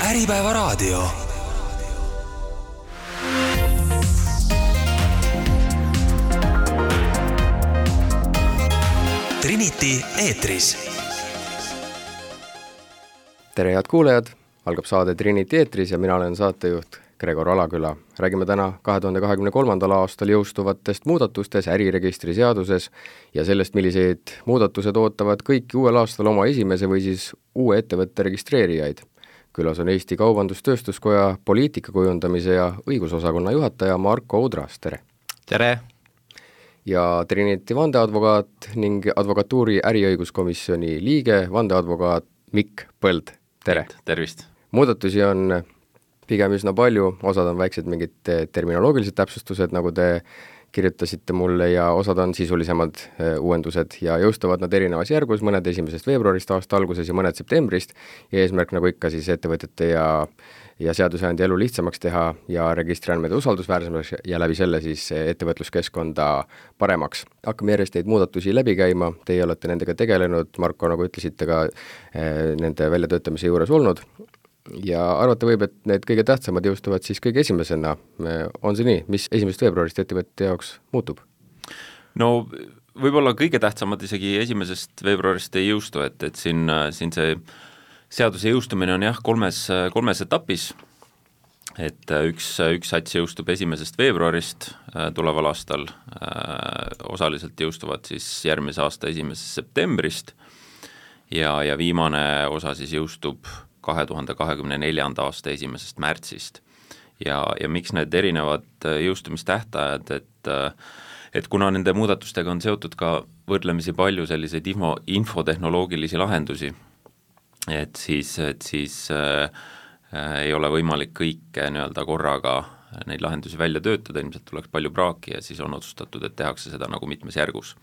Äripäevaraadio. Trinity eetris. Tere head kuulajad, algab saade Trinity eetris ja mina olen saatejuht Gregor Alaküla. Räägime täna 2023. aastal jõustuvatest muudatustest äriregistri seaduses ja sellest, milliseid muudatused ootavad kõiki uuel aastal oma esimese või siis uue ettevõtte registreerijaid. Külas on Eesti Kaubandus-Tööstuskoja poliitikakujundamise ja õigusosakonna juhataja Marko Udras, tere! Tere! Ja Trinity vandeadvokaat ning advokatuuri äriõiguskomisjoni liige, vandeadvokaat Mikk Põld, tere! Tervist! Muudatusi on pigem üsna palju, osad on väiksed mingid terminoloogilised täpsustused, nagu te kirjutasite mulle, ja osad on sisulisemad uuendused ja jõustuvad nad erinevas järgus, mõned 1. veebruarist aasta alguses ja mõned septembrist, ja eesmärk nagu ikka siis ettevõtete ja seadusandja elu lihtsamaks teha ja registriandmed usaldusväärsemaks ja läbi selle siis ettevõtluskeskkonda paremaks. Hakkame järjest neid muudatusi läbi käima, teie olete nendega tegelenud, Marko, nagu ütlesite ka nende väljatöötamise juures olnud. Ja arvata võib, et need kõige tähtsamad jõustuvad siis kõige esimesena. On see nii? Mis 1. veebruarist ettevõtte jaoks muutub? No võib-olla kõige tähtsamad isegi 1. veebruarist ei jõustu, et siin see seaduse jõustumine on jah kolmes etapis, et üks sats jõustub 1. veebruarist tuleval aastal, osaliselt jõustuvad siis järgmise aasta 1. septembrist ja viimane osa siis jõustub 2024. aasta 1. märtsist. Ja miks need erinevad jõustumistähtajad, et kuna nende muudatustega on seotud ka võrdlemisi palju selliseid infotehnoloogilisi lahendusi, et siis ei ole võimalik kõike nii-öelda korraga neid lahendusi välja töötada, ilmselt tuleks palju praaki ja siis on otsustatud, et tehakse seda nagu mitmes järgus.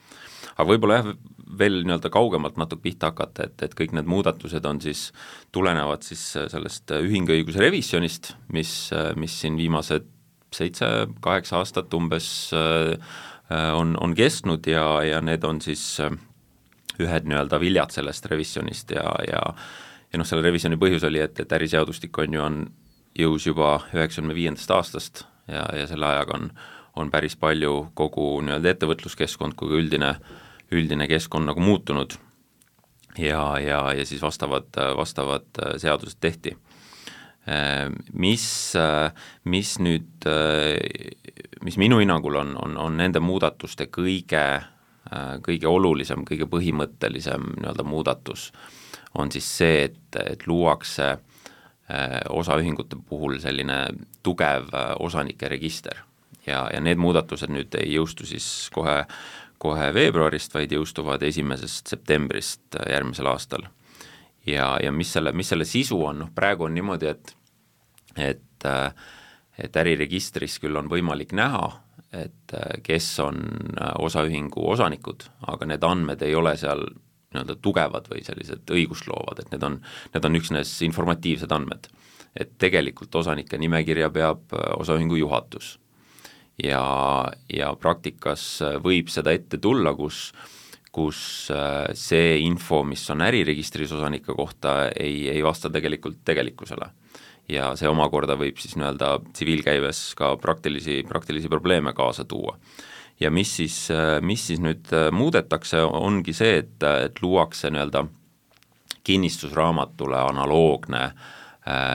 Aga võib-olla jah, veel nii-öelda kaugemalt natuke pihta hakata, et kõik need muudatused on siis, tulenevad siis sellest ühingõiguse revisjonist, mis siin viimased 7-8 aastat umbes on kestnud ja need on siis ühed nii-öelda viljad sellest revisjonist ja selle revisjoni põhjus oli, et äriseadustik on jõus juba 95. aastast ja selle ajaga on päris palju kogu nii-öelda ettevõtluskeskkond kui üldine keskkond nagu muutunud ja siis vastavad seadused tehti. Mis minu hinnangul on nende muudatuste kõige olulisem, kõige põhimõttelisem nii-öelda muudatus on siis see, et luuakse osaühingute puhul selline tugev osanike register ja need muudatused nüüd ei jõustu siis kohe veebruarist, vaid jõustuvad 1. septembrist järgmisel aastal. Ja mis selle sisu on? Praegu on niimoodi, et äriregistris küll on võimalik näha, et kes on osaühingu osanikud, aga need andmed ei ole seal nii-öelda tugevad või sellised õigusloovad, et need on üksnes informatiivsed andmed. Et tegelikult osanike nimekirja peab osaühingu juhatus. Ja praktikas võib seda ette tulla, kus see info, mis on äriregistris osanike kohta, ei vasta tegelikult tegelikkusele. Ja see omakorda võib siis nii-öelda tsiviilkäives ka praktilisi probleeme kaasa tuua. Ja mis siis nüüd muudetakse, ongi see, et luuakse nii-öelda kinnistusraamatule analoogne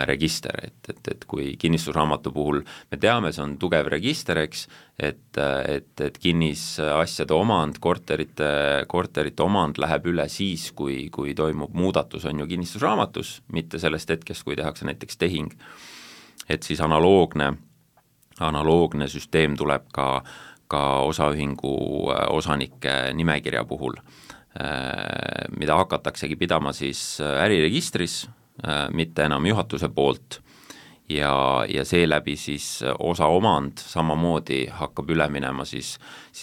register, et kui kinnistusraamatu puhul me teame, see on tugev register, eks, et kinnisasjade omand, korterite omand läheb üle siis, kui toimub muudatus, on ju kinnistusraamatus, mitte sellest hetkest, kui tehakse näiteks tehing. Et siis analoogne süsteem tuleb ka osaühingu osanike nimekirja puhul, mida hakataksegi pidama siis äriregistris, mitte enam juhatuse poolt ja seeläbi siis osa omand samamoodi hakkab üle minema siis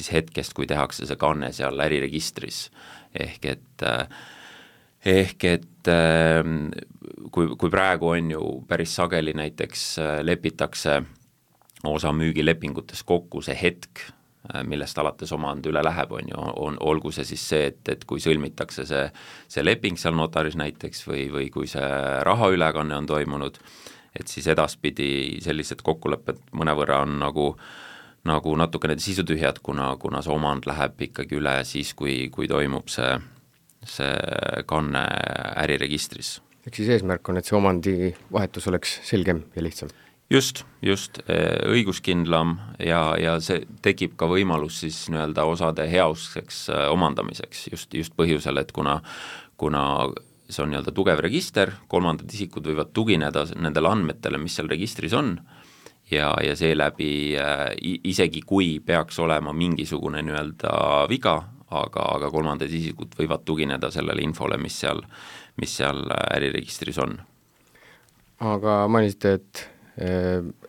hetkest, kui tehakse see kanne seal äriregistris. Ehk et kui praegu on ju päris sageli näiteks lepitakse osa müügilepingutes kokku see hetk, millest alates omand üle läheb, olgu see siis see, et kui sõlmitakse see leping seal notaris näiteks või kui see rahaülekanne on toimunud, et siis edaspidi sellised kokkulepped mõnevõrra on nagu natukene sisutühjad, kuna see omand läheb ikkagi üle siis, kui toimub see kanne äriregistris. Ehk siis eesmärk on, et see omandi vahetus oleks selgem ja lihtsam? Just, õiguskindlam ja see tekib ka võimalus siis nii-öelda osade heauskseks omandamiseks just põhjusel, et kuna see on nii-öelda tugev register, kolmandad isikud võivad tugineda nendele andmetele, mis seal registris on ja seeläbi isegi kui peaks olema mingisugune nii-öelda viga, aga kolmandad isikud võivad tugineda sellele infole, mis seal äriregistris on. Aga mainisite, et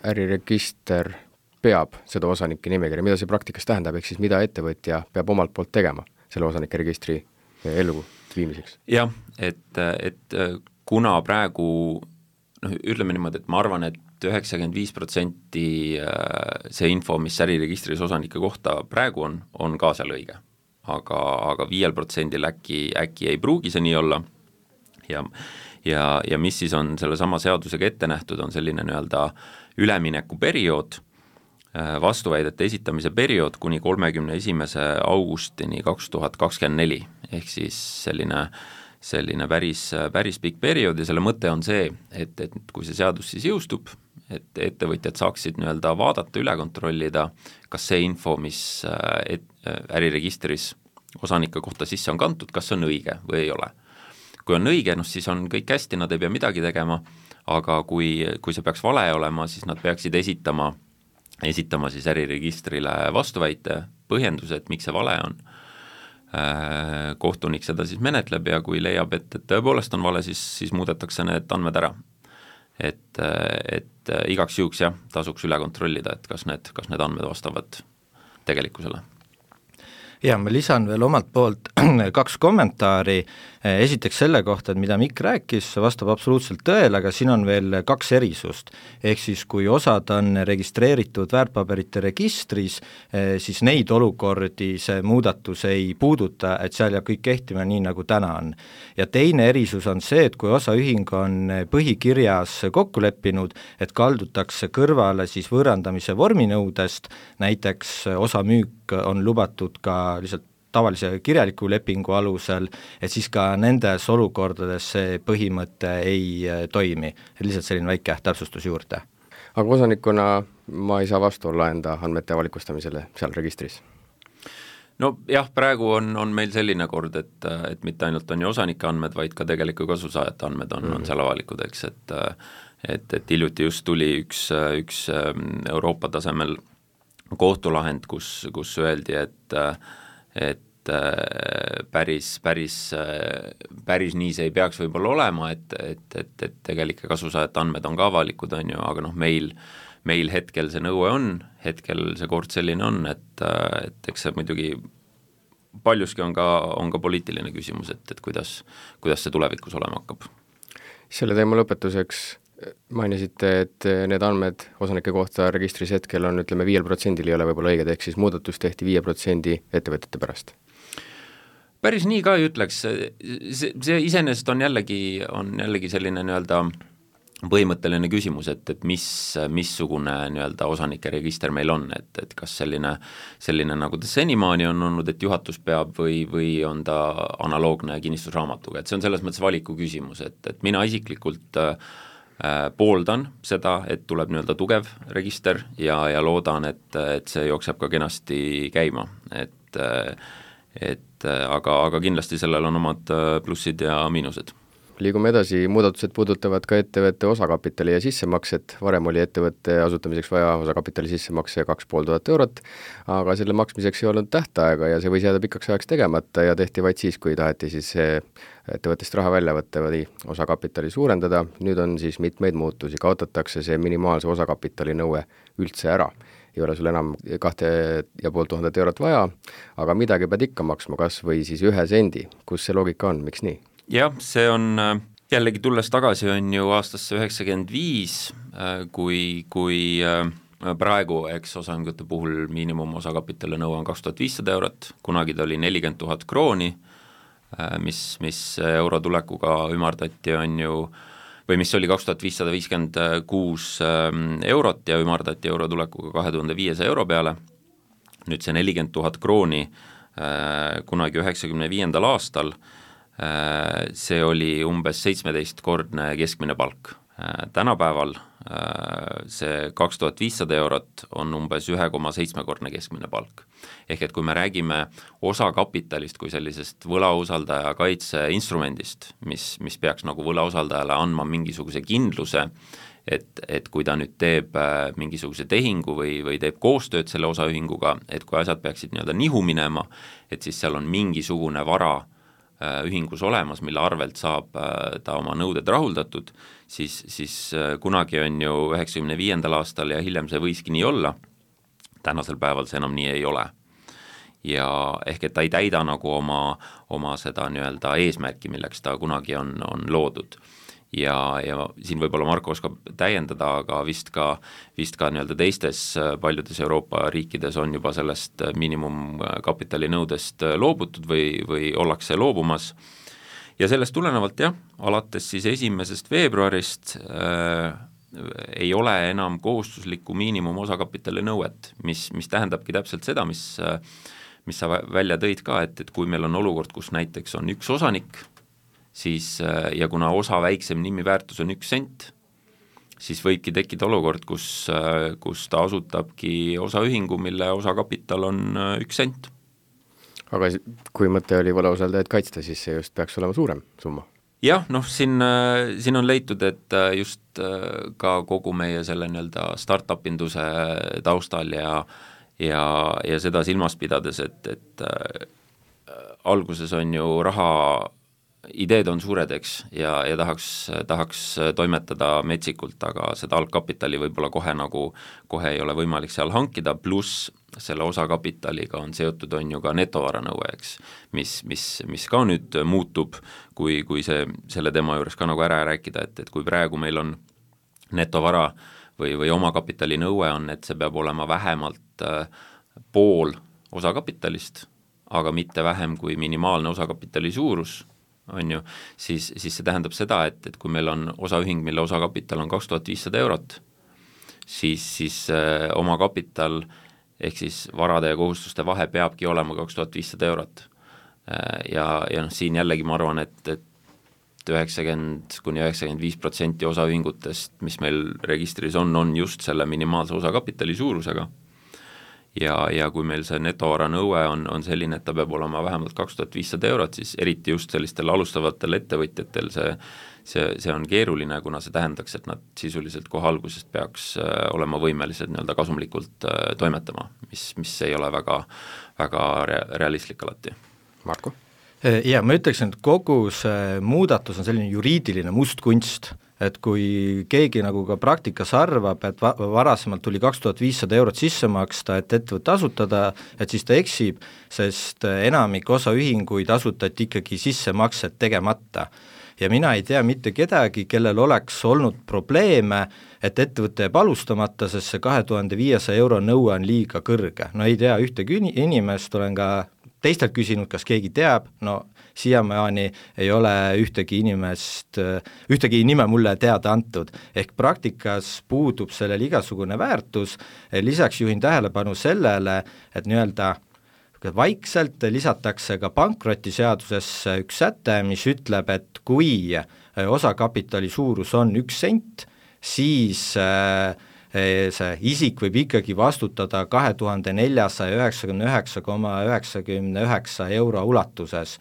äriregister peab seda osanike nimekirja, mida see praktikas tähendab, ehk siis mida ettevõtja peab omalt poolt tegema selle osanike registri ellu viimiseks? Jah, et kuna praegu ütleme niimoodi, et ma arvan, et 95% see info, mis äriregistris osanike kohta praegu on ka seal õige, aga 5% äkki ei pruugi see nii olla ja mis siis on selle sama seadusega ette nähtud, on selline nii-öelda üleminekuperiood, vastuväidete esitamise periood kuni 31. augustini 2024, ehk siis selline päris pikk periood ja selle mõte on see, et kui see seadus siis jõustub, et ettevõtjad saaksid nii-öelda vaadata, üle kontrollida, kas see info, mis äriregistris osanike kohta sisse on kantud, kas see on õige või ei ole. Kui on õige, siis on kõik hästi, nad ei pea midagi tegema, aga kui see peaks vale olema, siis nad peaksid esitama siis äriregistrile vastuväite, põhjenduse, et miks see vale on. Kohtunik seda siis menetleb ja kui leiab, et tõepoolest on vale, siis muudetakse need andmed ära. Et igaks juhuks tasuks üle kontrollida, et kas need andmed vastavad tegelikkusele. Ja ma lisan veel omalt poolt 2 kommentaari, esiteks selle kohta, et mida Mikk rääkis, vastab absoluutselt tõele, aga siin on veel 2 erisust, ehk siis kui osad on registreeritud väärtpaberite registris, siis neid olukordi see muudatus ei puuduta, et seal jääb kõik kehtima nii, nagu täna on. Ja teine erisus on see, et kui osaühing on põhikirjas kokku leppinud, et kaldutakse kõrvale siis võõrandamise vorminõudest, näiteks osamüük on lubatud ka lihtsalt tavalise kirjaliku lepingu alusel, et siis ka nendes olukordades see põhimõte ei toimi. Lihtsalt selline väike täpsustus juurde. Aga osanikuna ma ei saa vastu olla enda andmete avalikustamisele seal registris? No jah, praegu on meil selline kord, et mitte ainult on ju osanike andmed, vaid ka tegeliku kasusaajate andmed on seal avalikud, eks, et hiljuti just tuli üks Euroopa tasemel kohtulahend, kus öeldi, et päris nii see ei peaks võib-olla olema, et tegelike kasusaajate andmed on ka avalikud, on ju, aga meil hetkel see nõue on, hetkel see kord selline on, et eks see muidugi paljuski on ka poliitiline küsimus, et kuidas see tulevikus olema hakkab. Selle teema lõpetuseks mainisite, et need andmed osanike kohta registris hetkel on, ütleme, 5% ei ole võib-olla õiged, ehk siis muudatus tehti 5% ettevõtete pärast. Päris nii ka ei ütleks, see iseenesest on jällegi selline nii-öelda põhimõtteline küsimus, et missugune nii-öelda osanike register meil on, et kas selline nagu ta senimaani on olnud, et juhatus peab või on ta analoogne kinnistusraamatuga, et see on selles mõttes valiku küsimus, et mina isiklikult pooldan seda, et tuleb nii-öelda tugev register ja loodan, et see jookseb ka kenasti käima, aga kindlasti sellel on omad plussid ja miinused. Liigume edasi, muudatused puudutavad ka ettevõtte osakapitali ja sissemakset, varem oli ettevõtte asutamiseks vaja osakapitali sissemakse 2500 eurot, aga selle maksmiseks ei olnud tähtaega ja see võis jääda pikaks ajaks tegemata ja tehti vaid siis, kui taheti siis ettevõttest raha välja võtta või osakapitali suurendada. Nüüd on siis mitmeid muutusi, kaotatakse see minimaalse osakapitali nõue üldse ära. Ei ole sul enam 2500 eurot vaja, aga midagi pead ikka maksma, kas või siis 1 sendi. Kus see loogika on, miks nii? Jah, see on jällegi tulles tagasi on ju aastasse 95, kui praegu, eks osaühingute puhul miinimumosakapitali nõue on 2500 eurot, kunagi ta oli 40 000 krooni, mis euro tulekuga ümardati, on ju, või mis oli 2556 eurot ja ümardati euro tulekuga 2500 euro peale. Nüüd see 40 000 krooni kunagi 95. aastal, see oli umbes 17-kordne keskmine palk. Tänapäeval see 2500 eurot on umbes 1,7-kordne keskmine palk. Ehk et kui me räägime osakapitalist kui sellisest võlausaldaja kaitse instrumendist, mis peaks nagu võlausaldajale andma mingisuguse kindluse, et kui ta nüüd teeb mingisuguse tehingu või teeb koostööd selle osaühinguga, et kui asjad peaksid nii-öelda nihu minema, et siis seal on mingisugune vara ühingus olemas, mille arvelt saab ta oma nõuded rahuldatud, siis kunagi on ju 95. aastal ja hiljem see võiski nii olla, tänasel päeval see enam nii ei ole. Ja ehk et ta ei täida nagu oma seda nii-öelda eesmärki, milleks ta kunagi on loodud. Ja siin võib-olla Marko oskab täiendada, aga vist ka nii-öelda teistes paljudes Euroopa riikides on juba sellest miinimumkapitali nõudest loobutud või ollakse loobumas. Ja sellest tulenevalt alates siis 1. veebruarist ei ole enam kohustuslikku miinimumosakapitali nõuet, mis tähendabki täpselt seda, mis sa välja tõid ka, et kui meil on olukord, kus näiteks on üks osanik, siis ja kuna osa väiksem nimiväärtus on 1 sent, siis võibki tekkida olukord, kus ta asutabki osaühingu, mille osakapital on 1 sent. Aga kui mõte oli võlausaldajaid kaitsta, siis see just peaks olema suurem summa? Jah, siin on leitud, et just ka kogu meie selle nii-öelda startup-induse taustal ja seda silmas pidades, et alguses on ju raha ideed on suured, eks, ja tahaks toimetada metsikult, aga seda algkapitali võib-olla kohe ei ole võimalik seal hankida, pluss selle osakapitaliga on seotud on ju ka netovaranõue, eks, mis ka nüüd muutub, kui selle teema juures ka nagu ära rääkida, et kui praegu meil on netovara või omakapitali nõue on, et see peab olema vähemalt pool osakapitalist, aga mitte vähem kui minimaalne osakapitali suurus, on ju, siis see tähendab seda, et kui meil on osaühing, mille osakapital on 2500 eurot, siis omakapital ehk siis varade ja kohustuste vahe peabki olema 2500 eurot. Ja siin jällegi ma arvan, et 90–95% osaühingutest, mis meil registris on just selle minimaalse osakapitali suurusega. Ja kui meil see netovara nõue on selline, et ta peab olema vähemalt 2500 eurot, siis eriti just sellistel alustavatel ettevõtjatel see on keeruline, kuna see tähendaks, et nad sisuliselt kohe algusest peaks olema võimelised nii-öelda kasumlikult toimetama, mis ei ole väga, väga realistlik alati. Marko? Ja ma ütleksin, et kogu see muudatus on selline juriidiline mustkunst, et kui keegi nagu ka praktikas arvab, et varasemalt tuli 2500 eurot sisse maksta, et ettevõtte asutada, et siis ta eksib, sest enamik osaühinguid asutati ikkagi sissemaksed tegemata. Ja mina ei tea mitte kedagi, kellel oleks olnud probleeme, et ettevõtte jääb alustamata, sest see 2500 euro nõue on liiga kõrge. No ei tea ühtegi inimest, olen ka teistelt küsinud, kas keegi teab, no siiamaani ei ole ühtegi nime mulle teada antud, ehk praktikas puudub sellel igasugune väärtus, lisaks juhin tähelepanu sellele, et nii-öelda vaikselt lisatakse ka pankrotiseadusesse üks säte, mis ütleb, et kui osakapitali suurus on 1 sent, siis see isik võib ikkagi vastutada 2499,99 euro ulatuses,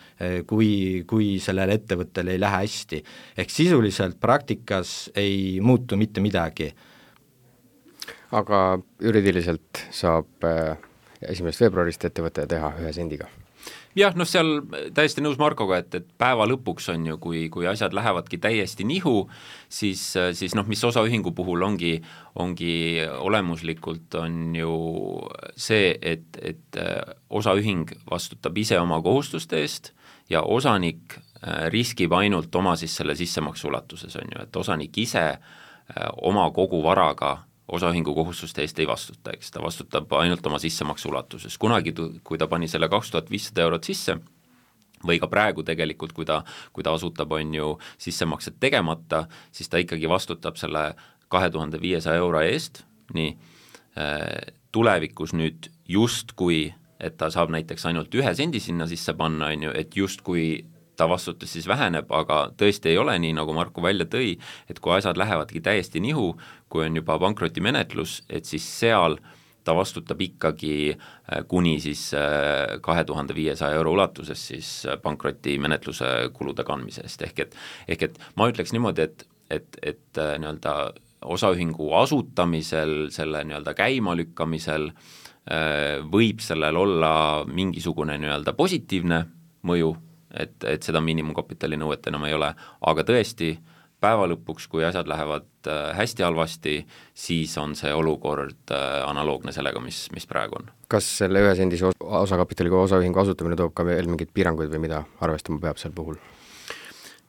kui sellel ettevõttel ei lähe hästi. Ehk sisuliselt praktikas ei muutu mitte midagi. Aga juriidiliselt saab 1. veebruarist ettevõte teha 1 sendiga? Jah, seal täiesti nõus Markoga, et päeva lõpuks on ju, kui asjad lähevadki täiesti nihu, siis mis osaühingu puhul ongi olemuslikult on ju see, et osaühing vastutab ise oma kohustuste eest ja osanik riskib ainult oma siis selle sissemaksu ulatuses, on ju, et osanik ise oma kogu varaga osaühingu kohustuste eest ei vastuta, eks ta vastutab ainult oma sissemaksu ulatuses. Kunagi, kui ta pani selle 2500 eurot sisse, või ka praegu tegelikult, kui ta asutab, on ju sissemaksed tegemata, siis ta ikkagi vastutab selle 2500 euro eest, nii tulevikus nüüd justkui, et ta saab näiteks ainult 1 sendi sinna sisse panna, on ju, et justkui ta vastutus siis väheneb, aga tõesti ei ole nii, nagu Marko välja tõi, et kui asjad lähevadki täiesti nihu, kui on juba pankrotimenetlus, et siis seal ta vastutab ikkagi kuni siis 2500 euro ulatuses siis pankrotimenetluse kulude kandmise eest, ehk et ma ütleks niimoodi, et nii-öelda osaühingu asutamisel, selle nii-öelda käimalükkamisel võib sellel olla mingisugune nii-öelda positiivne mõju, et seda miinimumkapitali nõuet enam ei ole, aga tõesti, päeva lõpuks, kui asjad lähevad hästi halvasti, siis on see olukord analoogne sellega, mis praegu on. Kas selle 1 sendise osakapitaliga osaühingu asutamine toob ka veel mingeid piiranguid või mida arvestama peab sel puhul?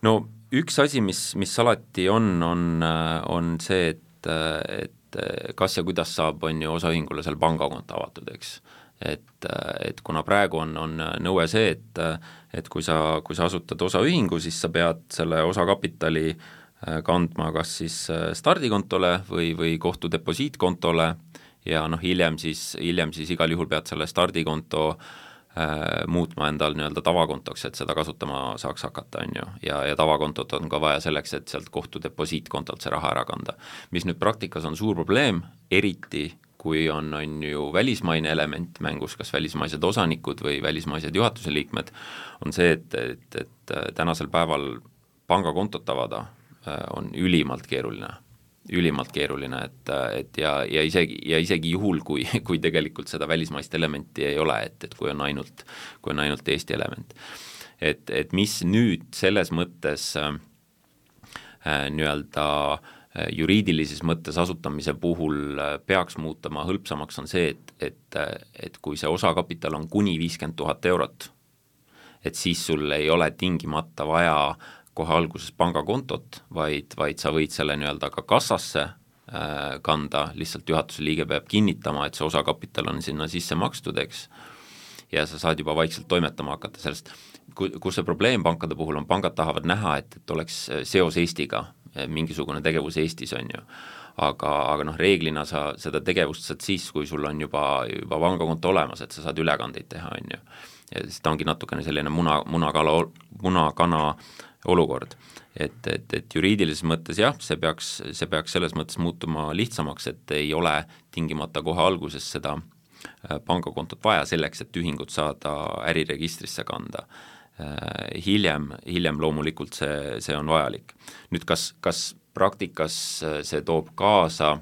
No üks asi, mis alati on see, et kas ja kuidas saab, on ju osaühingule seal pangakonto avatud, eks. Et kuna praegu on nõue see, et kui sa asutad osaühingu, siis sa pead selle osakapitali kandma kas siis stardikontole või kohtudeposiitkontole ja hiljem siis igal juhul pead selle stardikonto muutma endal nii-öelda tavakontoks, et seda kasutama saaks hakata, on ju, ja tavakontot on ka vaja selleks, et sealt kohtudeposiitkontolt see raha ära kanda. Mis nüüd praktikas on suur probleem, eriti kui on ju välismaine element mängus, kas välismaised osanikud või välismaised juhatuse liikmed, on see, et tänasel päeval pangakontot avada on ülimalt keeruline, et isegi juhul, kui tegelikult seda välismaist elementi ei ole, et kui on ainult Eesti element. Et mis nüüd selles mõttes nii-öelda juriidilises mõttes asutamise puhul peaks muutama hõlpsamaks, on see, et kui see osakapital on kuni 50 000 eurot, et siis sul ei ole tingimata vaja kohe alguses pangakontot, vaid sa võid selle nii-öelda ka kassasse kanda, lihtsalt juhatuse liige peab kinnitama, et see osakapital on sinna sisse makstud, eks, ja sa saad juba vaikselt toimetama hakata sellest. Kus see probleem pankade puhul on, pangad tahavad näha, et oleks seos Eestiga, mingisugune tegevus Eestis, on ju. Aga reeglina sa seda tegevust saad siis, kui sul on juba pangakonto olemas, et sa saad ülekandeid teha, on ju. Ja seda ongi natukene selline munakana olukord, et juriidilises mõttes jah, see peaks selles mõttes muutuma lihtsamaks, et ei ole tingimata kohe alguses seda pangakontot vaja selleks, et ühingut saada äriregistrisse kanda. Hiljem loomulikult see on vajalik. Nüüd kas praktikas see toob kaasa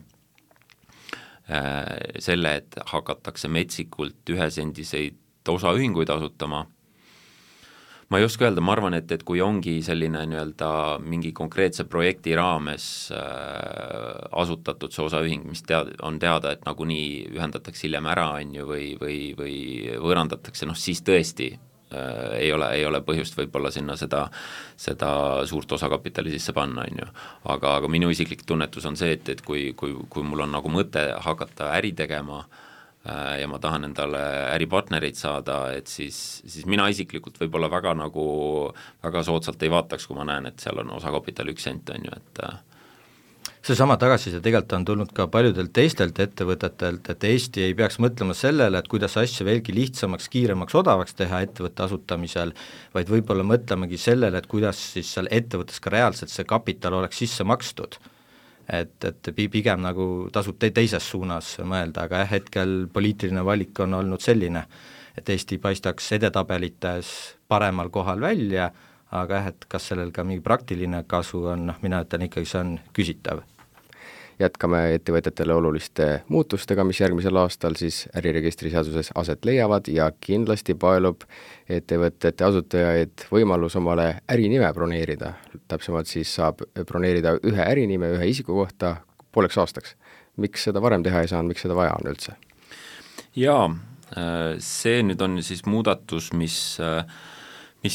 selle, et hakatakse metsikult 1 sendiseid osaühinguid asutama? Ma ei oska öelda, ma arvan, et kui ongi selline nii-öelda mingi konkreetse projekti raames asutatud see osaühing, mis on teada, et nagunii ühendatakse hiljem ära, on ju, või võõrandatakse, siis tõesti ei ole põhjust võib-olla sinna seda suurt osakapitali sisse panna, on ju. Aga minu isiklik tunnetus on see, et kui mul on nagu mõte hakata äri tegema ja ma tahan endale äripartnereid saada, et siis mina isiklikult võib-olla väga soodsalt ei vaataks, kui ma näen, et seal on osakapital 1 sent, on ju, et seesama tagasiside tegelikult on tulnud ka paljudelt teistelt ettevõtetelt, et Eesti ei peaks mõtlema sellele, et kuidas asja veelgi lihtsamaks, kiiremaks, odavaks teha ettevõtte asutamisel, vaid võib-olla mõtlemegi sellele, et kuidas siis seal ettevõttes ka reaalselt see kapital oleks sisse makstud. Et pigem nagu tasub teises suunas mõelda, aga hetkel poliitiline valik on olnud selline, et Eesti paistaks edetabelites paremal kohal välja, aga et kas sellel ka mingi praktiline kasu on, mina ütlen ikkagi, see on küsitav. Jätkame ettevõtetele oluliste muutustega, mis järgmisel aastal siis äriregistri seaduses aset leiavad ja kindlasti paelub ettevõtete asutajaid võimalus omale ärinime broneerida. Täpsemalt siis saab broneerida 1 ärinime 1 isiku kohta pooleks aastaks. Miks seda varem teha ei saanud, miks seda vaja on üldse? Jaa, see nüüd on siis muudatus, mis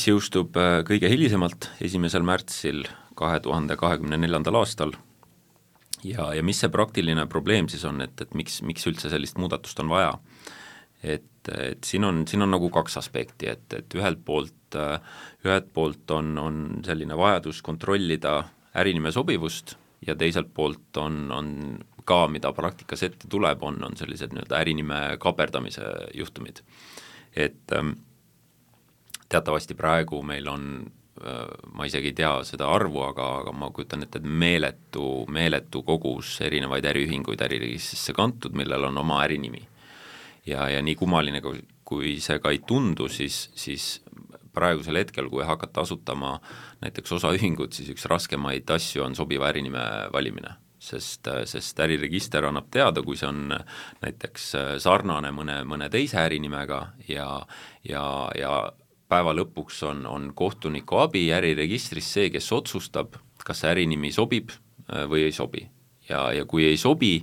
jõustub kõige hilisemalt 1. märtsil 2024. aastal. ja mis see praktiline probleem siis on, et miks üldse sellist muudatust on vaja? Et siin on nagu kaks aspekti, et ühelt poolt on selline vajadus kontrollida ärinime sobivust ja teiselt poolt on ka, mida praktikas ette tuleb, on sellised nii-öelda ärinime kaperdamise juhtumid. Et teatavasti praegu meil on, ma isegi ei tea seda arvu, aga ma kujutan ette, et meeletu kogus erinevaid äriühinguid äriregistrisse kantud, millel on oma ärinimi. Ja nii kummaline, kui see ka ei tundu, siis praegusel hetkel, kui hakata asutama näiteks osaühingut, siis üks raskemaid asju on sobiva ärinime valimine, sest äriregister annab teada, kui see on näiteks sarnane mõne teise ärinimega ja päeva lõpuks on kohtuniku abi äriregistris see, kes otsustab, kas see ärinimi sobib või ei sobi. Ja kui ei sobi,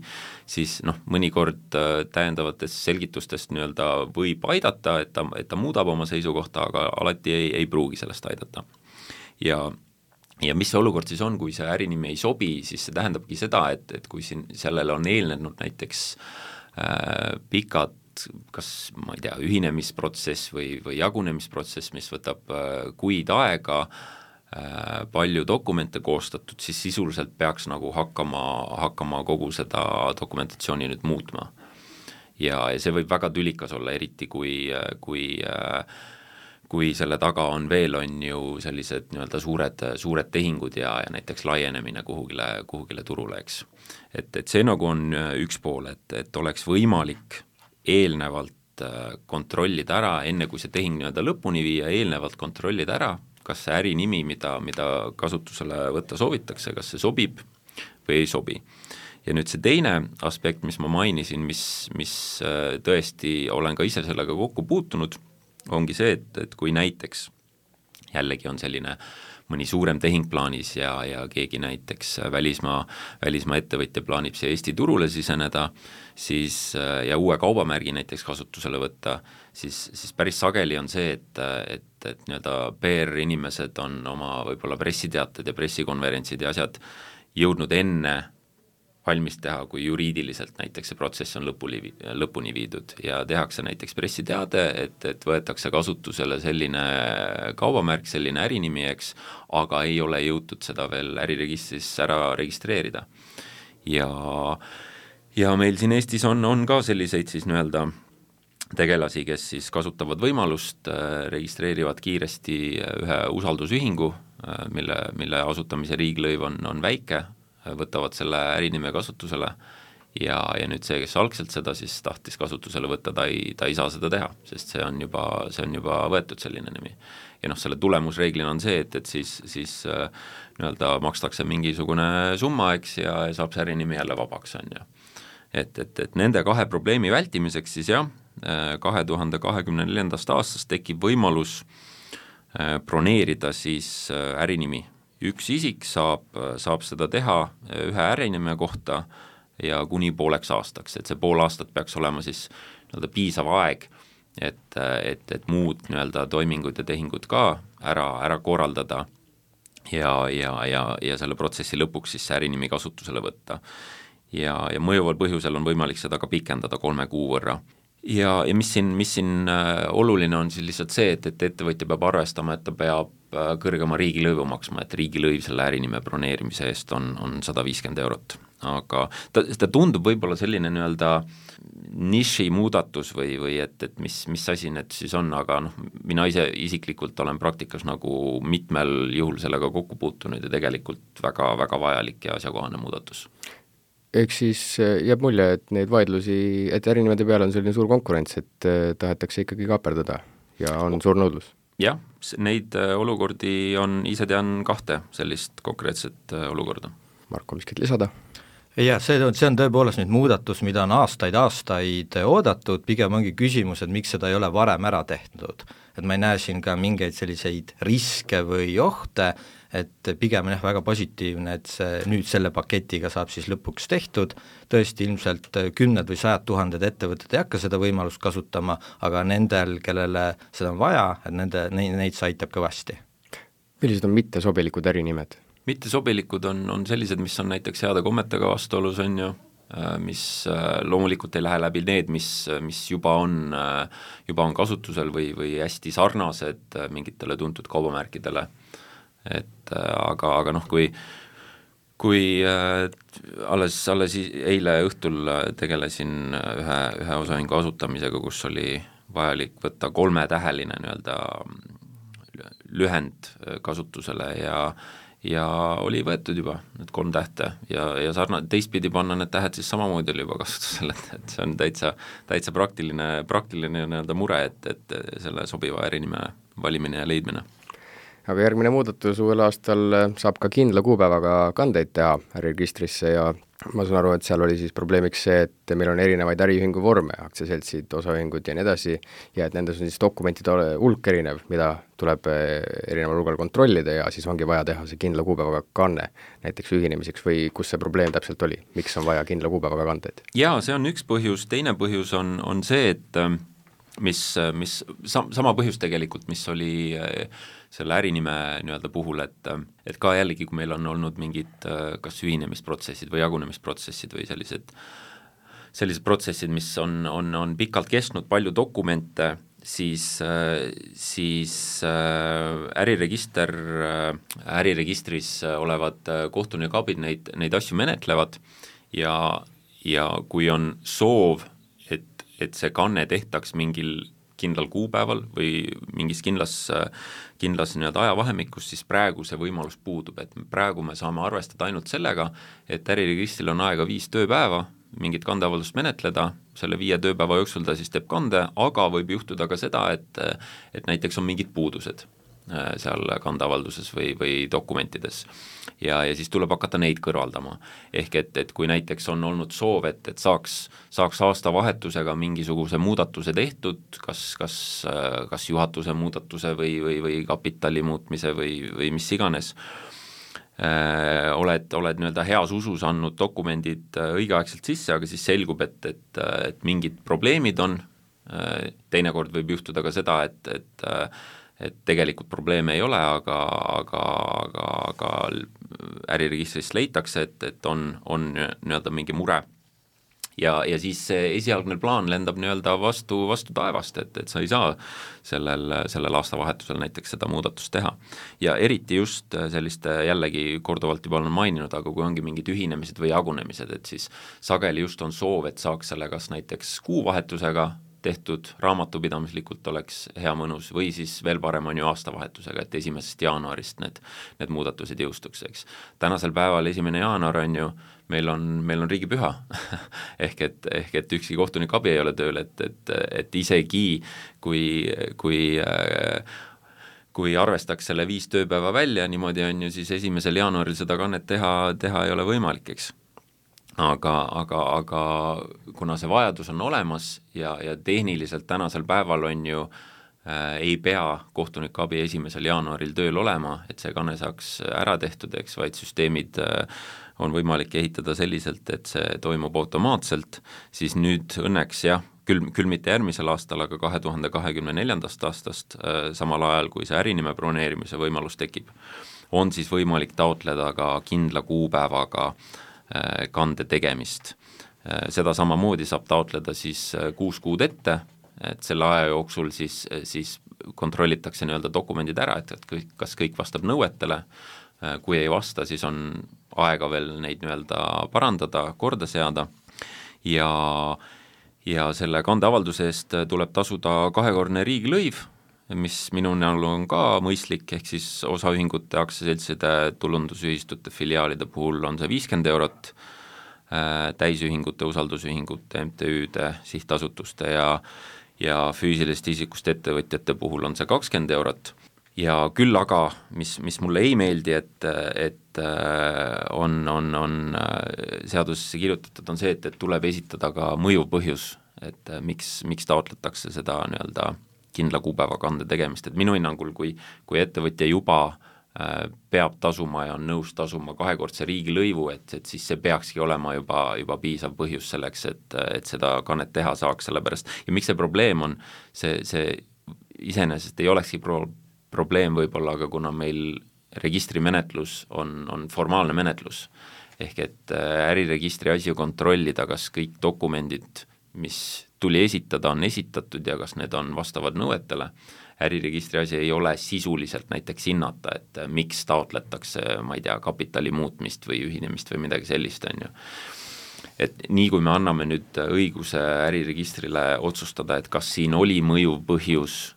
siis mõnikord täiendavatest selgitustest nii-öelda võib aidata, et ta muudab oma seisukohta, aga alati ei pruugi sellest aidata. Ja mis see olukord siis on, kui see ärinimi ei sobi, siis see tähendabki seda, et kui siin sellele on eelnenud näiteks pikad, kas ma ei tea, ühinemisprotsess või jagunemisprotsess, mis võtab kuid aega, palju dokumente koostatud, siis sisuliselt peaks nagu hakkama kogu seda dokumentatsiooni nüüd muutma. Ja see võib väga tülikas olla, eriti kui selle taga on ju sellised nii-öelda suured tehingud ja näiteks laienemine kuhugile turule, eks. Et see nagu on üks pool, et oleks võimalik eelnevalt kontrollida ära, enne kui see tehing nii-öelda lõpuni viia, eelnevalt kontrollida ära, kas see ärinimi, mida kasutusele võtta soovitakse, kas see sobib või ei sobi. Ja nüüd see teine aspekt, mis ma mainisin, mis tõesti olen ka ise sellega kokku puutunud, ongi see, et kui näiteks jällegi on selline mõni suurem tehing plaanis ja keegi näiteks välismaa ettevõtja plaanib siia Eesti turule siseneda, siis ja uue kaubamärgi näiteks kasutusele võtta, siis päris sageli on see, et nii-öelda PR-inimesed on oma võib-olla pressiteated ja pressikonverentsid ja asjad jõudnud enne valmis teha, kui juriidiliselt näiteks see protsess on lõpuni viidud ja tehakse näiteks pressiteade, et võetakse kasutusele selline kaubamärk, selline ärinimi, eks, aga ei ole jõutud seda veel äriregistris ära registreerida. Ja meil siin Eestis on ka selliseid siis nii-öelda tegelasi, kes siis kasutavad võimalust, registreerivad kiiresti ühe usaldusühingu, mille asutamise riiglõiv on väike, võtavad selle ärinime kasutusele ja nüüd see, kes algselt seda siis tahtis kasutusele võtta, ta ei saa seda teha, sest see on juba võetud selline nimi. Ja selle tulemusreeglina on see, et siis nii-öelda makstakse mingisugune summa, eks, ja saab see ärinimi jälle vabaks, on ju. Et nende kahe probleemi vältimiseks siis 2024. aastast tekib võimalus broneerida siis ärinimi. Üks isik saab seda teha ühe ärinime kohta ja kuni pooleks aastaks, et see pool aastat peaks olema siis nii-öelda piisav aeg, et muud nii-öelda toimingud ja tehingud ka ära korraldada ja selle protsessi lõpuks siis see ärinimi kasutusele võtta. Ja mõjuval põhjusel on võimalik seda ka pikendada 3 kuu võrra. Ja mis siin oluline on siis lihtsalt see, et ettevõtja peab arvestama, et ta peab kõrgema riigilõivu maksma, et riigilõiv selle ärinime broneerimise eest on 150 €. Aga ta tundub võib-olla selline nii-öelda niši muudatus või et mis asi need siis on, aga mina ise isiklikult olen praktikas nagu mitmel juhul sellega kokku puutunud ja tegelikult väga vajalik ja asjakohane muudatus. Eks siis jääb mulje, et neid vaidlusi, et ärinimede peale on selline suur konkurents, et tahetakse ikkagi kaaperdada ja on suur nõudlus. Jah, neid olukordi ise tean 2 sellist konkreetset olukorda. Marko, miskit lisada? Ja see on tõepoolest nüüd muudatus, mida on aastaid oodatud, pigem ongi küsimus, et miks seda ei ole varem ära tehtud. Et ma ei näe siin ka mingeid selliseid riske või ohte, et pigem on väga positiivne, et see nüüd selle paketiga saab siis lõpuks tehtud, tõesti ilmselt 10 või 100 000 ettevõtted ei hakka seda võimalust kasutama, aga nendel, kellele seda on vaja, et neid see aitab kõvasti. Millised on mittesobilikud ärinimed? mittesobilikud on sellised, mis on näiteks heade kommetega vastuolus, on ju, mis loomulikult ei lähe läbi need, mis juba on kasutusel või hästi sarnased mingitele tuntud kaubamärkidele. Et aga noh, kui alles eile õhtul tegelesin ühe osaühingu asutamisega, kus oli vajalik võtta 3-täheline nii-öelda lühend kasutusele ja oli võetud juba need 3 tähte ja teistpidi panna need tähed siis samamoodi oli juba kasutusel, et see on täitsa praktiline nii-öelda mure, et selle sobiva ärinime valimine ja leidmine. Aga järgmine muudatus uuel aastal saab ka kindla kuupäevaga kandeid teha äriregistrisse ja ma saan aru, et seal oli siis probleemiks see, et meil on erinevaid äriühingu vorme, aktsiaseltsid, osaühingud ja nii edasi, ja et nendes on siis dokumentide hulk erinev, mida tuleb erineval hulgal kontrollida ja siis ongi vaja teha see kindla kuupäevaga kanne näiteks ühinemiseks või kus see probleem täpselt oli, miks on vaja kindla kuupäevaga kandeid? Jaa, see on üks põhjus, teine põhjus on see, et sama põhjus tegelikult, mis oli selle ärinime nii-öelda puhul, et ka jällegi, kui meil on olnud mingid kas ühinemisprotsessid või jagunemisprotsessid või sellised protsessid, mis on pikalt kestnud, palju dokumente, siis äriregistris olevad kohtunikabid neid asju menetlevad ja kui on soov, et see kanne tehtaks mingil kindlal kuupäeval või mingis kindlas nii-öelda ajavahemikus, siis praegu see võimalus puudub, et praegu me saame arvestada ainult sellega, et äriregistril on aega 5 tööpäeva mingit kandeavaldust menetleda, selle 5 tööpäeva jooksul ta siis teeb kande, aga võib juhtuda ka seda, et näiteks on mingid puudused seal kandeavalduses või dokumentides ja siis tuleb hakata neid kõrvaldama. Ehk et kui näiteks on olnud soov, et saaks aastavahetusega mingisuguse muudatuse tehtud, kas juhatuse muudatuse või kapitali muutmise või mis iganes, oled nii-öelda heas usus andnud dokumendid õigeaegselt sisse, aga siis selgub, et mingid probleemid on, teinekord võib juhtuda ka seda, et tegelikult probleeme ei ole, aga äriregistrist leitakse, et on nii-öelda mingi mure. Ja siis see esialgne plaan lendab nii-öelda vastu taevast, et sa ei saa sellel aastavahetusel näiteks seda muudatust teha. Ja eriti just selliste, jällegi korduvalt juba olen maininud, aga kui ongi mingid ühinemised või jagunemised, et siis sageli just on soov, et saaks selle kas näiteks kuuvahetusega tehtud, raamatupidamislikult oleks hea mõnus või siis veel parem on ju aastavahetusega, et 1. jaanuarist need muudatused jõustuks, eks. Tänasel päeval 1. jaanuar on ju, meil on riigipüha ehk et ükski kohtunik abi ei ole tööl, et isegi kui arvestaks selle 5 tööpäeva välja, niimoodi on ju siis 1. jaanuaril seda kannet teha ei ole võimalik, eks. Aga kuna see vajadus on olemas ja tehniliselt tänasel päeval on ju ei pea kohtunikuabi 1. jaanuaril tööl olema, et see kanne saaks ära tehtud, eks, vaid süsteemid on võimalik ehitada selliselt, et see toimub automaatselt, siis nüüd õnneks jah, küll mitte järgmisel aastal, aga 2024. aastast, samal ajal kui see ärinime broneerimise võimalus tekib, on siis võimalik taotleda ka kindla kuupäevaga kande tegemist. Seda samamoodi saab taotleda siis 6 kuud ette, et selle aja jooksul siis kontrollitakse nii-öelda dokumendid ära, et kas kõik vastab nõuetele, kui ei vasta, siis on aega veel neid nii-öelda parandada, korda seada ja selle kandeavalduse eest tuleb tasuda 2-kordne riigilõiv, mis minu näol on ka mõistlik, ehk siis osaühingute, aktsiaseltside, tulundusühistute, filiaalide puhul on see 50 eurot, täisühingute, usaldusühingute, MTÜ-de, sihtasutuste ja füüsiliste isikust ettevõtjate puhul on see 20 eurot. Ja küll aga, mis mulle ei meeldi, et on seadusesse kirjutatud, on see, et tuleb esitada ka mõjuv põhjus, et miks taotletakse seda nii-öelda kindla kuupäeva kande tegemist, et minu hinnangul, kui ettevõtja juba peab tasuma ja on nõus tasuma 2-kordse riigilõivu, et siis see peakski olema juba piisav põhjus selleks, et seda kannet teha saaks, sellepärast. Ja miks see probleem on, see iseenesest ei olekski probleem võib-olla, aga kuna meil registrimenetlus on formaalne menetlus, ehk et äriregistri asi kontrollida, kas kõik dokumendid, mis tuli esitada, on esitatud ja kas need on vastavad nõuetele. Äriregistri asi ei ole sisuliselt näiteks hinnata, et miks taotletakse, ma ei tea, kapitali muutmist või ühinemist või midagi sellist, on ju. Et nii kui me anname nüüd õiguse äriregistrile otsustada, et kas siin oli mõjuv põhjus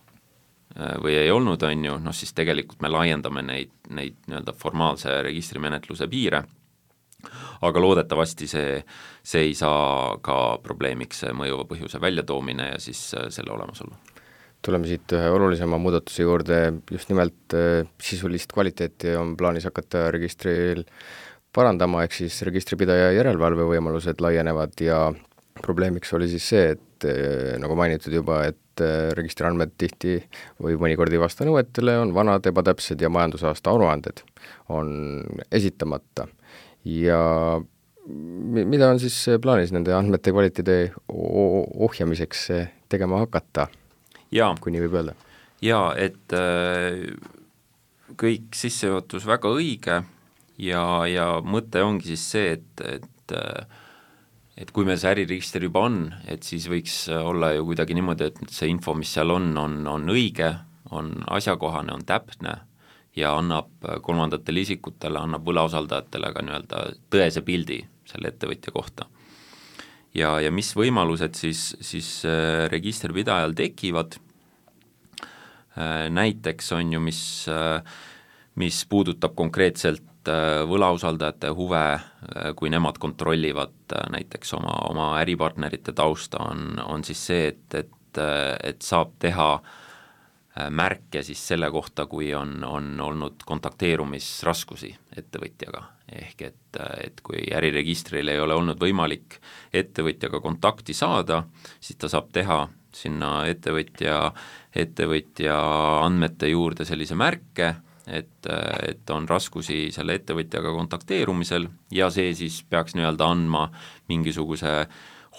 või ei olnud, on ju, noh siis tegelikult me laiendame neid nii-öelda formaalse registrimenetluse piire, aga loodetavasti see ei saa ka probleemiks mõjuva põhjuse väljatoomine ja siis selle olemasolu. Tuleme siit ühe olulisema muudatuse juurde, just nimelt sisulist kvaliteeti on plaanis hakata registril parandama, ehk siis registripidaja järelevalve võimalused laienevad ja probleemiks oli siis see, et nagu mainitud juba, et registriandmed tihti või mõnikord ei vasta nõuetele, on vanad, ebatäpsed ja majandusaasta aruanded on esitamata. Ja mida on siis plaanis nende andmete kvaliteedi ohjamiseks tegema hakata, kui nii võib öelda? Jaa, et kõik sissejuhatus väga õige ja mõte ongi siis see, et kui meil see äriregister juba on, et siis võiks olla ju kuidagi niimoodi, et see info, mis seal on õige, on asjakohane, on täpne ja annab kolmandatele isikutele, annab võlausaldajatele ka nii-öelda tõese pildi selle ettevõtja kohta. Ja mis võimalused siis registripidajal tekivad, näiteks on ju, mis puudutab konkreetselt võlausaldajate huve, kui nemad kontrollivad näiteks oma äripartnerite tausta, on siis see, et saab teha märke siis selle kohta, kui on olnud kontakteerumisraskusi ettevõtjaga. Ehk et kui äriregistril ei ole olnud võimalik ettevõtjaga kontakti saada, siis ta saab teha sinna ettevõtja andmete juurde sellise märke, et on raskusi selle ettevõtjaga kontakteerumisel ja see siis peaks nii-öelda andma mingisuguse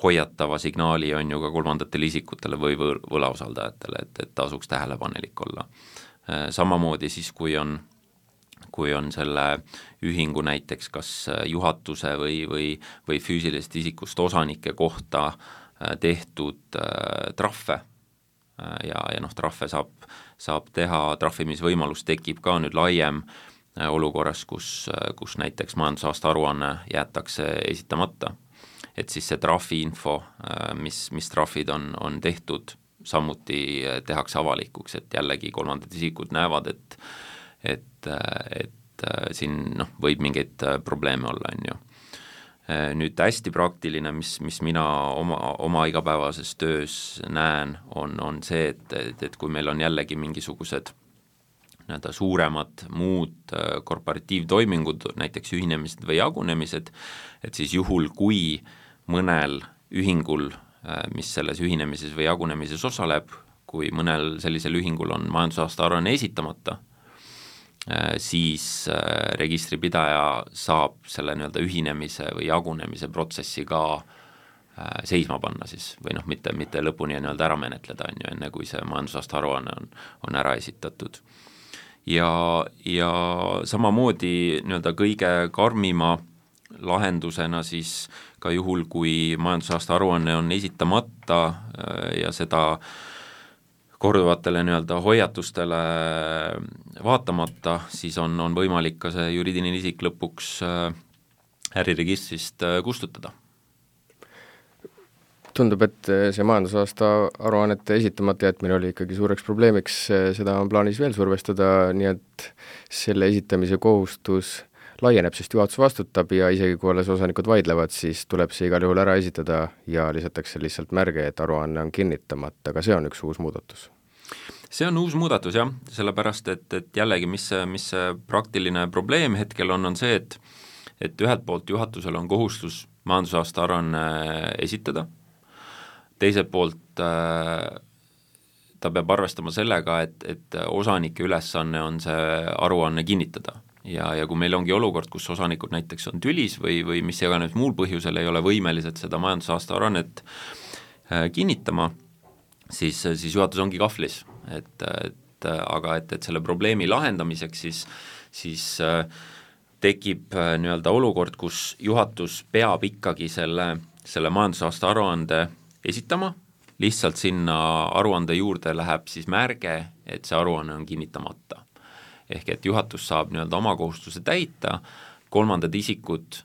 hoiatava signaali on ju ka kolmandatele isikutele või võlausaldajatele, et tasuks tähelepanelik olla. Samamoodi siis, kui on selle ühingu näiteks kas juhatuse või füüsilisest isikust osanike kohta tehtud trahve ja trahve saab teha, trahvimisvõimalus tekib ka nüüd laiem olukorras, kus näiteks majandusaasta aruanne jäetakse esitamata. Et siis see trahviinfo, mis trahvid on tehtud, samuti tehakse avalikuks, et jällegi kolmandad isikud näevad, et siin võib mingeid probleeme olla, on ju. Nüüd hästi praktiline, mis mina oma igapäevases töös näen, on see, et kui meil on jällegi mingisugused suuremad muud korporatiivtoimingud, näiteks ühinemised või jagunemised, et siis juhul, kui mõnel ühingul, mis selles ühinemises või jagunemises osaleb, kui mõnel sellisel ühingul on majandusaasta aruanne esitamata, siis registripidaja saab selle nii-öelda ühinemise või jagunemise protsessi ka seisma panna siis, või mitte lõpuni nii-öelda ära menetleda, on ju, enne kui see majandusaasta aruanne on ära esitatud. Ja samamoodi nii-öelda kõige karmima lahendusena siis ka juhul, kui majandusaasta aruanne on esitamata ja seda korduvatele nii-öelda hoiatustele vaatamata, siis on võimalik ka see juriidiline isik lõpuks äriregistrist kustutada. Tundub, et see majandusaasta aruannete esitamata jätmine oli ikkagi suureks probleemiks, seda on plaanis veel survestada, nii et selle esitamise kohustus laieneb, sest juhatus vastutab ja isegi kui alles osanikud vaidlevad, siis tuleb see igal juhul ära esitada ja lisatakse lihtsalt märge, et aruanne on kinnitamata, aga see on üks uus muudatus. See on uus muudatus jah, sellepärast, et jällegi, mis see praktiline probleem hetkel on see, et ühelt poolt juhatusel on kohustus majandusaasta aruanne esitada, teiselt poolt ta peab arvestama sellega, et osanike ülesanne on see aruanne kinnitada. Ja kui meil ongi olukord, kus osanikud näiteks on tülis või mis iganes muul põhjusel ei ole võimelised seda majandusaasta aruannet kinnitama, siis juhatus ongi kahvlis, aga selle probleemi lahendamiseks siis tekib nii-öelda olukord, kus juhatus peab ikkagi selle majandusaasta aruande esitama, lihtsalt sinna aruande juurde läheb siis märge, et see aruanne on kinnitamata. Ehk et juhatus saab nii-öelda oma kohustuse täita, kolmandad isikud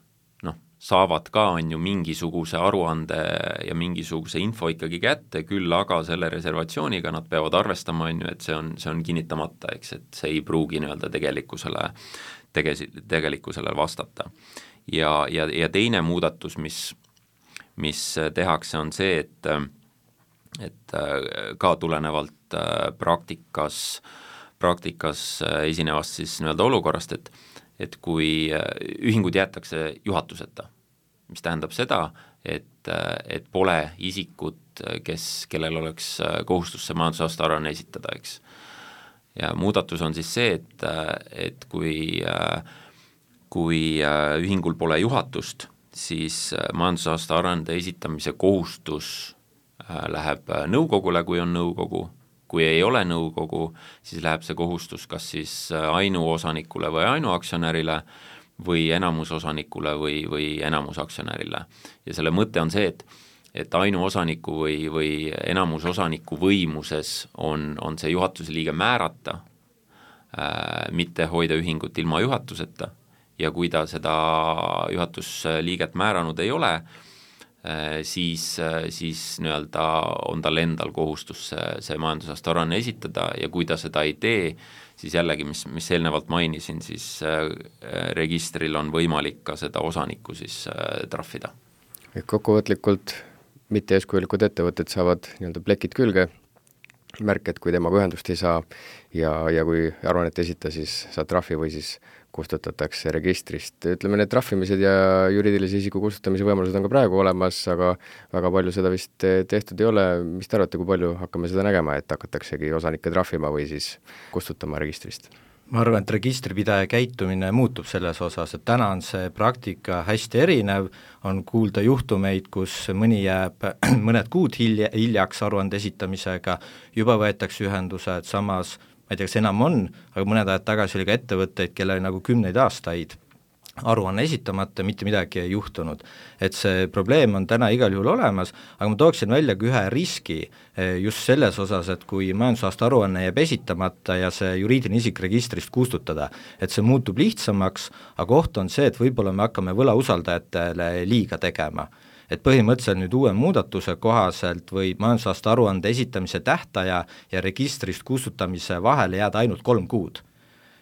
saavad ka on ju mingisuguse aruande ja mingisuguse info ikkagi kätte, küll aga selle reservatsiooniga nad peavad arvestama, on ju, et see on kinnitamata, eks, et see ei pruugi nii-öelda tegelikkusele vastata. Ja teine muudatus, mis tehakse, on see, et ka tulenevalt praktikas esinevast siis nii-öelda olukorrast, et kui ühingud jäetakse juhatuseta, mis tähendab seda, et pole isikut, kellel oleks kohustus see majandusaasta aruanne esitada, eks. Ja muudatus on siis see, et kui ühingul pole juhatust, siis majandusaasta aruande esitamise kohustus läheb nõukogule, kui on nõukogu. Kui ei ole nõukogu, siis läheb see kohustus kas siis ainuosanikule või ainuaktsionärile või enamusosanikule või enamusaktsionärile. Ja selle mõte on see, et ainuosaniku või enamusosaniku võimuses on see juhatuse liige määrata, mitte hoida ühingut ilma juhatuseta, ja kui ta seda juhatusliiget määranud ei ole, siis nii-öelda on tal endal kohustus see majandusaasta aruanne esitada ja kui ta seda ei tee, siis jällegi, mis eelnevalt mainisin, siis registril on võimalik ka seda osanikku siis trahvida. Kokkuvõtlikult mitte eeskujulikud ettevõtted saavad nii-öelda plekid külge, märk, et kui temaga ühendust ei saa ja kui aruannet esita, siis saad trahvi või siis kustutatakse registrist. Ütleme, need trahvimised ja juriidilise isiku kustutamise võimalused on ka praegu olemas, aga väga palju seda vist tehtud ei ole. Mis te arvate, kui palju hakkame seda nägema, et hakataksegi osanikke trahvima või siis kustutama registrist? Ma arvan, et registripidaja käitumine muutub selles osas, et täna on see praktika hästi erinev, on kuulda juhtumeid, kus mõni jääb mõned kuud hiljaks aruande esitamisega, juba võetakse ühendused, samas ma ei tea, kas enam on, aga mõned ajad tagasi oli ka ettevõtteid, kelle nagu 10 aastaid aruanne esitamata, mitte midagi ei juhtunud. Et see probleem on täna igal juhul olemas, aga ma tooksin välja ka ühe riski just selles osas, et kui majandusaasta aruanne jääb esitamata ja see juriidiline isik registrist kustutada, et see muutub lihtsamaks, aga oht on see, et võib-olla me hakkame võlausaldajatele liiga tegema. Et põhimõtteliselt nüüd uue muudatuse kohaselt võib majandusaasta aruande esitamise tähtaja ja registrist kustutamise vahele jääda ainult 3 kuud.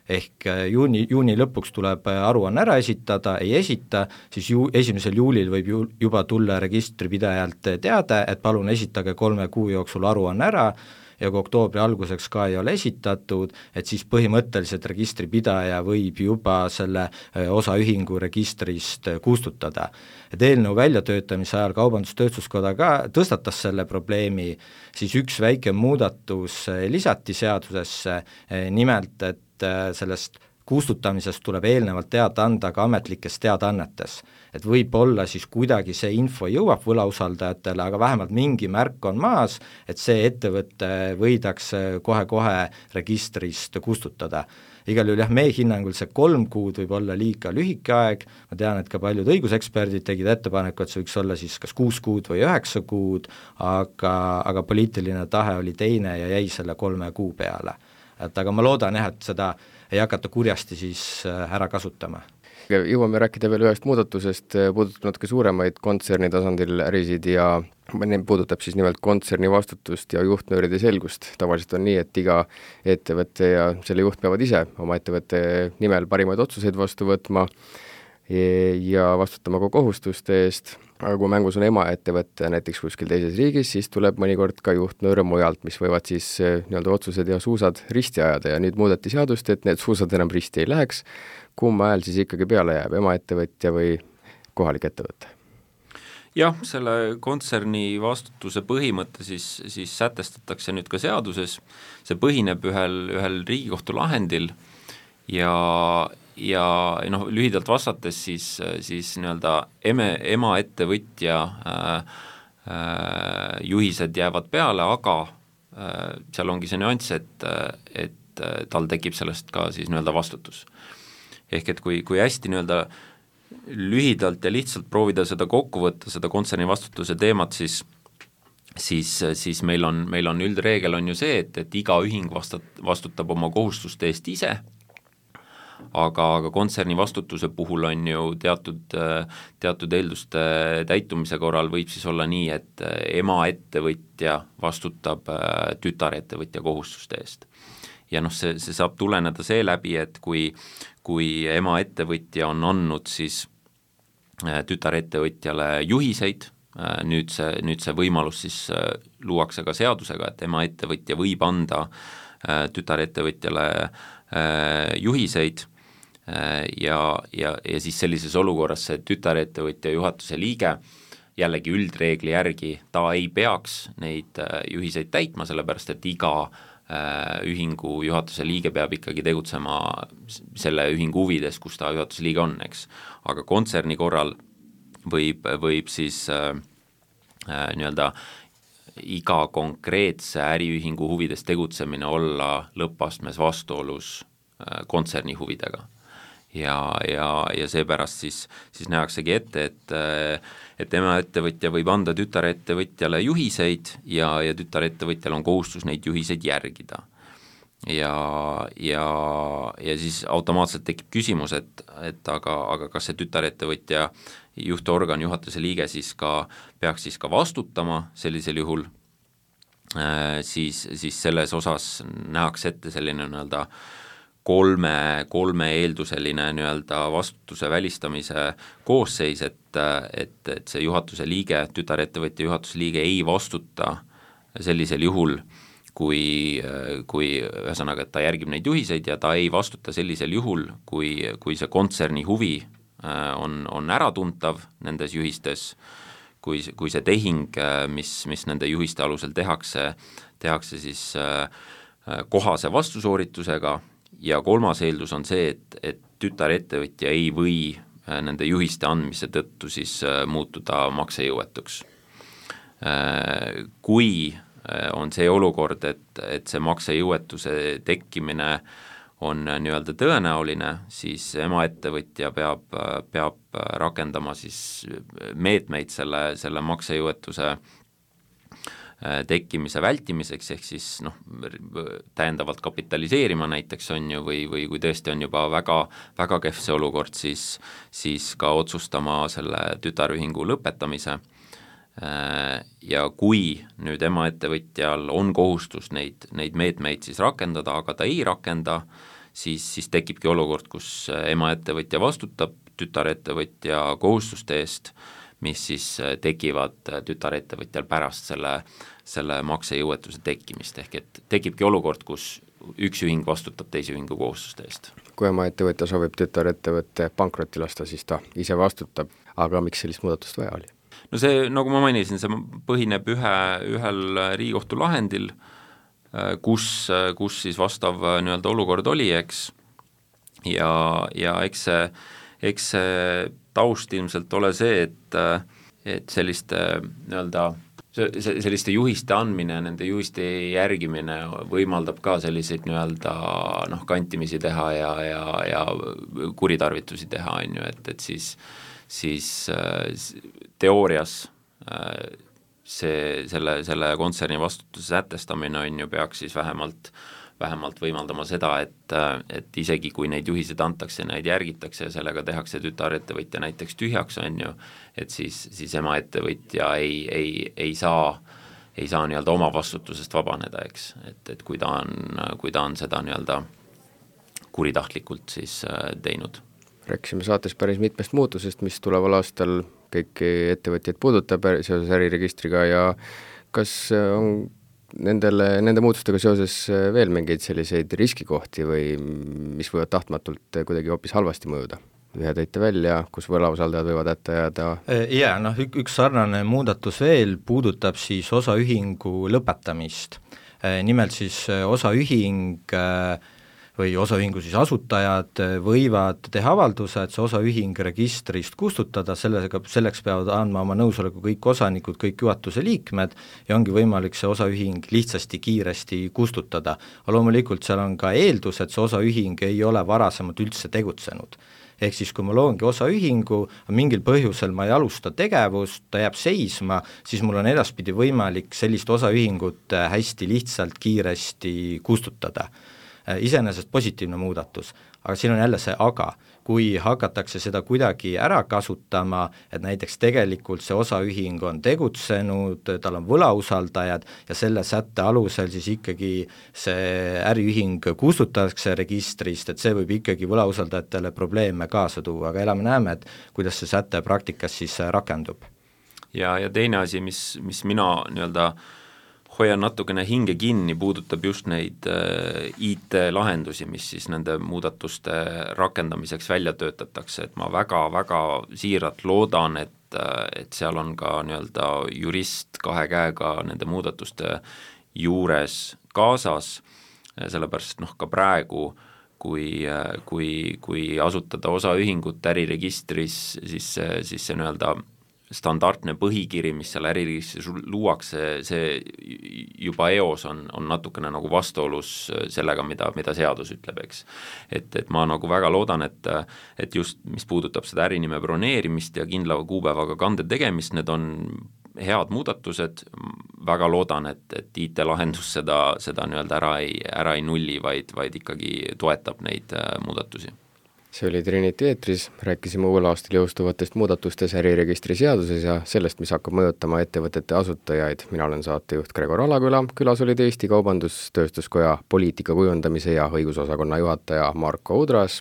Ehk juuni lõpuks tuleb aruanne ära esitada, ei esita, siis 1. juulil võib juba tulla registripidajalt teade, et palun esitage 3 kuu jooksul aruanne ära, ja kui oktoobri alguseks ka ei ole esitatud, et siis põhimõtteliselt registripidaja võib juba selle osaühingu registrist kustutada. Et eelnõu väljatöötamise ajal Kaubandus-Tööstuskoda ka tõstatas selle probleemi, siis üks väike muudatus lisati seadusesse, nimelt, et sellest kustutamisest tuleb eelnevalt teada anda ka ametlikes teadaannetes. Et võib-olla siis kuidagi see info jõuab võlausaldajatele, aga vähemalt mingi märk on maas, et see ettevõte võidakse kohe-kohe registrist kustutada. Igal juhul meie hinnangul see 3 kuud võib olla liiga lühike aeg, ma tean, et ka paljud õiguseksperdid tegid ettepaneku, et see võiks olla siis kas 6 kuud või 9 kuud, aga poliitiline tahe oli teine ja jäi selle 3 kuu peale. Et aga ma loodan et seda ei hakata kurjasti siis ära kasutama. Jõuame rääkida veel ühest muudatusest, puudutab natuke suuremaid kontserni tasandil ärisid ja puudutab siis nimelt kontserni vastutust ja juhtnööride selgust. Tavaliselt on nii, et iga ettevõtte ja selle juht peavad ise oma ettevõtte nimel parimaid otsuseid vastu võtma ja vastutama ka kohustuste eest, aga kui mängus on emaettevõtte näiteks kuskil teises riigis, siis tuleb mõnikord ka juhtnööre mujalt, mis võivad siis nii-öelda otsused ja suusad risti ajada ja nüüd muudeti seadust, et need suusad enam risti ei läheks. Kumma hääl siis ikkagi peale jääb, emaettevõtja või kohalik ettevõte? Jah, selle kontserni vastutuse põhimõte siis sätestatakse nüüd ka seaduses, see põhineb ühel Riigikohtu lahendil ja lühidalt vastates siis nii-öelda emaettevõtja juhised jäävad peale, aga seal ongi see nüanss, et tal tekib sellest ka siis nii-öelda vastutus. Ehk et kui hästi nii-öelda lühidalt ja lihtsalt proovida seda kokku võtta, seda kontserni vastutuse teemat, siis meil on üldreegel on ju see, et iga ühing vastutab oma kohustuste eest ise, aga kontserni vastutuse puhul on ju teatud eelduste täitumise korral võib siis olla nii, et emaettevõtja vastutab tütarettevõtja kohustuste eest. Ja see saab tuleneda seeläbi, et kui emaettevõtja on andnud siis tütarettevõtjale juhiseid, nüüd see võimalus siis luuakse ka seadusega, et emaettevõtja võib anda tütarettevõtjale juhiseid ja siis sellises olukorras see tütarettevõtja juhatuse liige jällegi üldreegli järgi ta ei peaks neid juhiseid täitma, sellepärast et iga ühingu juhatuse liige peab ikkagi tegutsema selle ühingu huvides, kus ta juhatuse liige on, eks. Aga kontserni korral võib siis nii-öelda iga konkreetse äriühingu huvides tegutsemine olla lõppastmes vastuolus kontserni huvidega. Ja seepärast siis nähaksegi ette, et emaettevõtja võib anda tütarettevõtjale juhiseid ja tütarettevõtjal on kohustus neid juhiseid järgida. Ja siis automaatselt tekib küsimus, et aga kas see tütarettevõtja juhtorgan, juhatuse liige peaks siis ka vastutama sellisel juhul, siis selles osas nähakse ette selline nii-öelda kolme eelduseline nii-öelda vastutuse välistamise koosseis, et see juhatuse liige, tütarettevõtja juhatuse liige ei vastuta sellisel juhul, kui ühesõnaga, et ta järgib neid juhiseid ja ta ei vastuta sellisel juhul, kui see kontserni huvi on äratuntav nendes juhistes, kui see tehing, mis nende juhiste alusel tehakse siis kohase vastusooritusega, ja kolmas eeldus on see, et tütarettevõtja ei või nende juhiste andmise tõttu siis muutuda maksejõuetuks. Kui on see olukord, et see maksejõuetuse tekkimine on nii-öelda tõenäoline, siis emaettevõtja peab rakendama siis meetmeid selle maksejõuetuse tekkimise vältimiseks, ehk siis täiendavalt kapitaliseerima näiteks on ju, või kui tõesti on juba väga, väga kehv see olukord, siis ka otsustama selle tütarühingu lõpetamise. Ja kui nüüd emaettevõtjal on kohustus neid meetmeid siis rakendada, aga ta ei rakenda, siis tekibki olukord, kus emaettevõtja vastutab tütarettevõtja kohustuste eest, mis siis tekivad tütarettevõtjal pärast selle maksejõuetuse tekkimist, ehk et tekibki olukord, kus üks ühing vastutab teise ühingu kohustuste eest. Kui emaettevõtja soovib tütarettevõtte pankrotti lasta, siis ta ise vastutab, aga miks sellist muudatust vaja oli? No see, nagu ma mainisin, see põhineb ühel Riigikohtu lahendil, kus siis vastav nii-öelda olukord oli, eks, ja eks see taust ilmselt ole see, et selliste nii-öelda selliste juhiste andmine, nende juhiste järgimine võimaldab ka selliseid nii-öelda kantimisi teha ja kuritarvitusi teha, on ju, et siis teoorias selle kontserni vastutuse sätestamine on ju, peaks siis vähemalt võimaldama seda, et isegi kui neid juhiseid antakse, neid järgitakse ja sellega tehakse tütarettevõtja näiteks tühjaks, on ju, et siis emaettevõtja ei saa nii-öelda oma vastutusest vabaneda, eks, et kui ta on seda nii-öelda kuritahtlikult siis teinud. Rääkisime saates päris mitmest muutusest, mis tuleval aastal kõiki ettevõtjaid puudutab seoses äriregistriga ja kas on nende muutustega seoses veel mingeid selliseid riskikohti või mis võivad tahtmatult kuidagi hoopis halvasti mõjuda? Ühe tõite välja, kus võlausaldajad võivad hätta jääda? Jaa, üks sarnane muudatus veel puudutab siis osaühingu lõpetamist. Nimelt siis osaühing või osaühingu siis asutajad võivad teha avalduse, et see osaühing registrist kustutada, selleks peavad andma oma nõusoleku kõik osanikud, kõik juhatuse liikmed ja ongi võimalik see osaühing lihtsasti kiiresti kustutada. Aga loomulikult seal on ka eeldus, et see osaühing ei ole varasemalt üldse tegutsenud. Ehk siis kui ma loongi osaühingu, mingil põhjusel ma ei alusta tegevust, ta jääb seisma, siis mul on edaspidi võimalik sellist osaühingut hästi lihtsalt kiiresti kustutada. Iseenesest positiivne muudatus, aga siin on jälle see aga, kui hakatakse seda kuidagi ära kasutama, et näiteks tegelikult see osaühing on tegutsenud, tal on võlausaldajad ja selle sätte alusel siis ikkagi see äriühing kustutatakse registrist, et see võib ikkagi võlausaldajatele probleeme kaasa tuua, aga elame-näeme, et kuidas see säte praktikas siis rakendub. Ja teine asi, mis mina nii-öelda hoian natukene hinge kinni, puudutab just neid IT-lahendusi, mis siis nende muudatuste rakendamiseks välja töötatakse, et ma väga-väga siiralt loodan, et seal on ka nii-öelda jurist kahe käega nende muudatuste juures kaasas, sellepärast ka praegu, kui asutada osaühingut äriregistris, siis see nii-öelda standardne põhikiri, mis seal äriregistris luuakse, see juba eos on natukene nagu vastuolus sellega, mida seadus ütleb, eks. Et ma nagu väga loodan, et just mis puudutab seda ärinime broneerimist ja kindla kuupäevaga kande tegemist, need on head muudatused, väga loodan, et IT-lahendus seda nii-öelda ära ei nulli, vaid ikkagi toetab neid muudatusi. See oli Trinity eetris, rääkisime uuel aastal jõustuvatest muudatustes äriregistri seaduses ja sellest, mis hakkab mõjutama ettevõtete asutajaid. Mina olen saatejuht Gregor Alaküla, külas olid Eesti Kaubandus-Tööstuskoja poliitika kujundamise ja õigusosakonna juhataja Marko Udras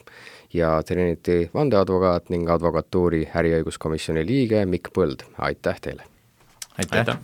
ja Trinity vandeadvokaat ning advokatuuri äriõiguskomisjoni liige Mikk Põld. Aitäh teile! Aitäh!